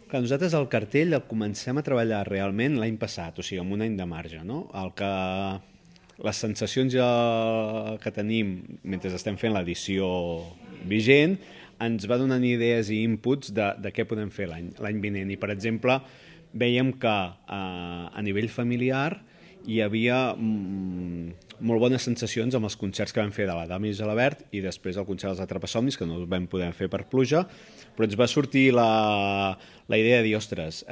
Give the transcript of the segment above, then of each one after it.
Clar, nosaltres el cartell el comencem a treballar realment l'any passat, o sigui, amb un any de marge, no? Les sensacions que tenim mentre estem fent l'edició vigent ens va donant idees i inputs de què podem fer l'any vinent. I, per exemple, veiem que a nivell familiar hi havia molt bones sensacions amb els concerts que vam fer de la Dama i Gelabert i després el concert dels Atrapasomnis, que no els vam poder fer per pluja, però ens va sortir la idea de dir, ostres,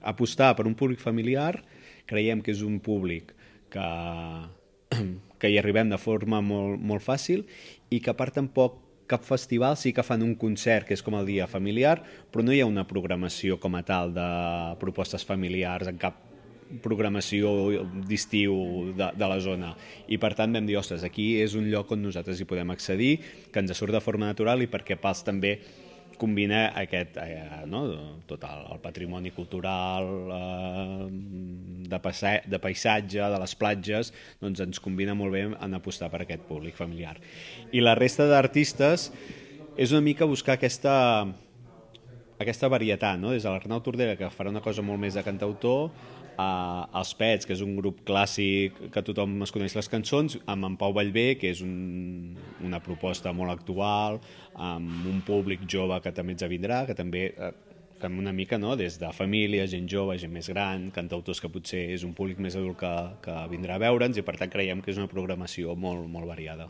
apostar per un públic familiar, creiem que és un públic que hi arribem de forma molt, molt fàcil i que a part tampoc cap festival sí que fan un concert que és com el dia familiar, però no hi ha una programació com a tal de propostes familiars en cap programació d'estiu de la zona. I per tant vam dir, ostres, aquí és un lloc on nosaltres hi podem accedir, que ens surt de forma natural i perquè Pals també combina tot el patrimoni cultural de paisatge, de les platges, doncs ens combina molt bé en apostar per aquest públic familiar. I la resta d'artistes és una mica buscar aquesta varietat, no? Des de l'Arnau Tordera, que farà una cosa molt més de cantautor, els Pets, que és un grup clàssic que tothom es coneix les cançons, amb en Pau Vallvé, que és una proposta molt actual, amb un públic jove que també ens vindrà, que també fem una mica, no? Des de família, gent jove, gent més gran, cantautors que potser és un públic més adult que vindrà a veure'ns i per tant creiem que és una programació molt, molt variada.